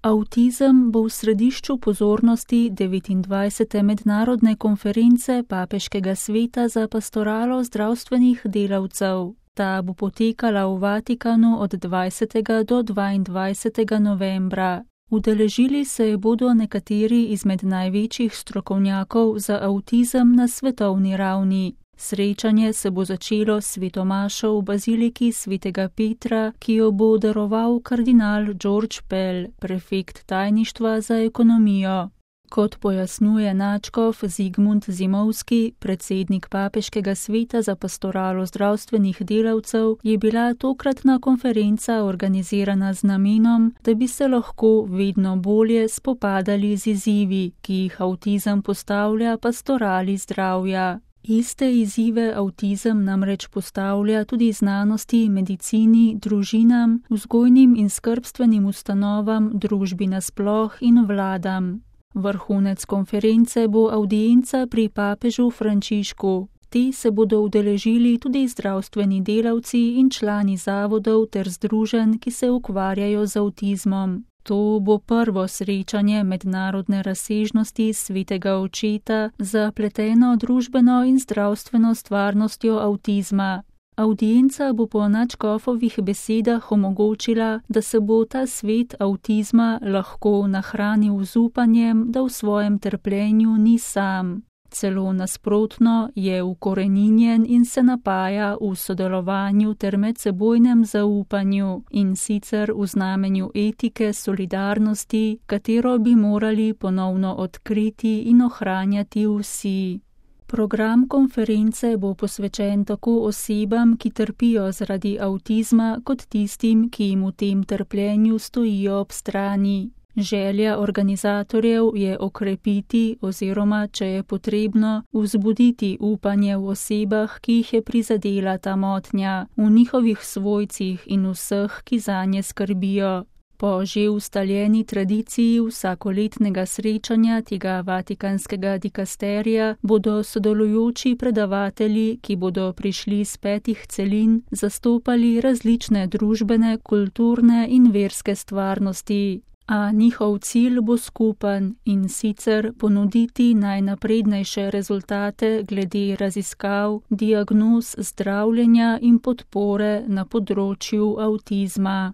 Avtizem bo v središču pozornosti 29. mednarodne konference Papeškega sveta za pastoralo zdravstvenih delavcev. Ta bo potekala v Vatikanu od 20. do 22. novembra. Udeležili se bodo nekateri izmed največjih strokovnjakov za avtizem na svetovni ravni. Srečanje se bo začelo s svetomašo v baziliki svetega Petra, ki jo bo daroval kardinal George Pell, prefekt tajništva za ekonomijo. Kot pojasnjuje nadškof Zigmund Zimovski, predsednik Papeškega sveta za pastoralo zdravstvenih delavcev, je bila tokratna konferenca organizirana z namenom, da bi se lahko vedno bolje spopadali z izzivi, ki jih avtizem postavlja pastorali zdravja. Iste izzive avtizem namreč postavlja tudi znanosti, medicini, družinam, vzgojnim in skrbstvenim ustanovam, družbi nasploh in vladam. Vrhunec konference bo avdienca pri papežu Frančišku. Te se bodo udeležili tudi zdravstveni delavci in člani zavodov ter združenj, ki se ukvarjajo z avtizmom. To bo prvo srečanje mednarodne razsežnosti svetega očeta za pleteno družbeno in zdravstveno stvarnostjo avtizma. Avdienca bo po nadškofovih besedah omogočila, da se bo ta svet avtizma lahko nahranil z upanjem, da v svojem trpljenju ni sam. Celo nasprotno je ukoreninjen in se napaja v sodelovanju ter medsebojnem zaupanju, in sicer v znamenju etike solidarnosti, katero bi morali ponovno odkriti in ohranjati vsi. Program konference bo posvečen tako osebam, ki trpijo zaradi avtizma, kot tistim, ki jim v tem trpljenju stojijo ob strani. Želja organizatorjev je okrepiti oziroma, če je potrebno, vzbuditi upanje v osebah, ki jih je prizadela ta motnja, v njihovih svojcih in vseh, ki zanje skrbijo. Po že ustaljeni tradiciji vsakoletnega srečanja tega vatikanskega dikasterija bodo sodelujoči predavatelji, ki bodo prišli z 5 celin, zastopali različne družbene, kulturne in verske stvarnosti. A njihov cilj bo skupen, in sicer ponuditi najnaprednejše rezultate glede raziskav, diagnoz, zdravljenja in podpore na področju avtizma.